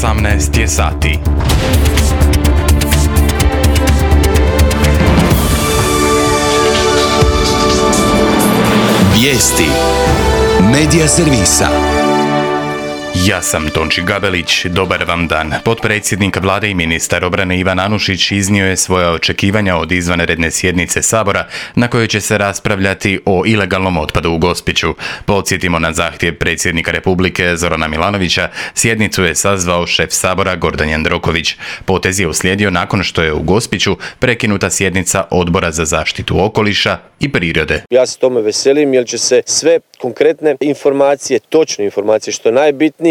18 je sati. Vijesti Medija servisa. Ja sam Tonči Gabelić, dobar vam dan. Potpredsjednik vlade i ministar obrane Ivan Anušić iznio je svoja očekivanja od izvanredne sjednice Sabora na kojoj će se raspravljati o ilegalnom otpadu u Gospiću. Podsjetimo na zahtjev predsjednika Republike Zorana Milanovića, sjednicu je sazvao šef Sabora Gordan Jandroković. Potez je uslijedio nakon što je u Gospiću prekinuta sjednica Odbora za zaštitu okoliša i prirode. Ja se tome veselim jer će se sve konkretne informacije, točne informacije što je najbitnije,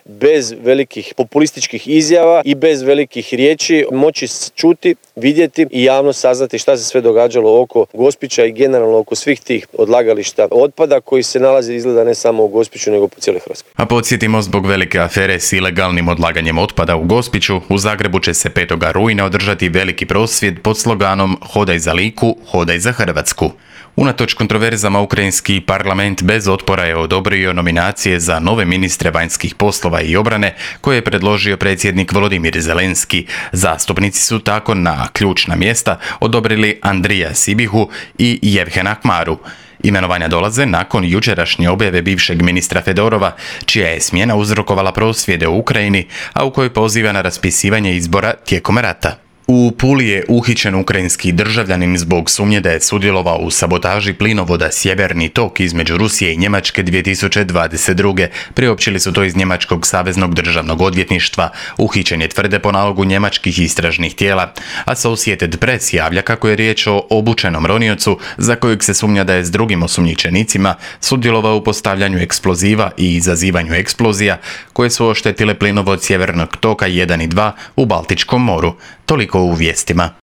bez velikih populističkih izjava i bez velikih riječi moći čuti, vidjeti i javno saznati šta se sve događalo oko Gospića i generalno oko svih tih odlagališta otpada koji se nalaze izgleda ne samo u Gospiću nego po cijeloj Hrvatskoj. A podsjetimo, zbog velike afere s ilegalnim odlaganjem otpada u Gospiću, u Zagrebu će se 5. rujna održati veliki prosvjed pod sloganom Hodaj za Liku, hodaj za Hrvatsku. Unatoč kontroverzama, ukrajinski parlament bez otpora je odobrio nominacije za nove ministre vanjskih poslova i obrane koje je predložio predsjednik Volodimir Zelenski. Zastupnici su tako na ključna mjesta odobrili Andrija Sibihu i Jevhena Kmaru. Imenovanja dolaze nakon jučerašnje objave bivšeg ministra Fedorova, čija je smjena uzrokovala prosvjede u Ukrajini, a u kojoj poziva na raspisivanje izbora tijekom rata. U Puli je uhićen ukrajinski državljanin zbog sumnje da je sudjelovao u sabotaži plinovoda Sjeverni tok između Rusije i Njemačke 2022. Priopćili su to iz Njemačkog saveznog državnog odvjetništva. Uhićen je, tvrde, po nalogu njemačkih istražnih tijela. Associated Press javlja kako je riječ o obučenom roniocu za kojeg se sumnja da je s drugim osumnjičenicima sudjelovao u postavljanju eksploziva i izazivanju eksplozija koje su oštetile plinovod Sjevernog toka 1 i 2 u Baltičkom moru. Toliko u vijestima.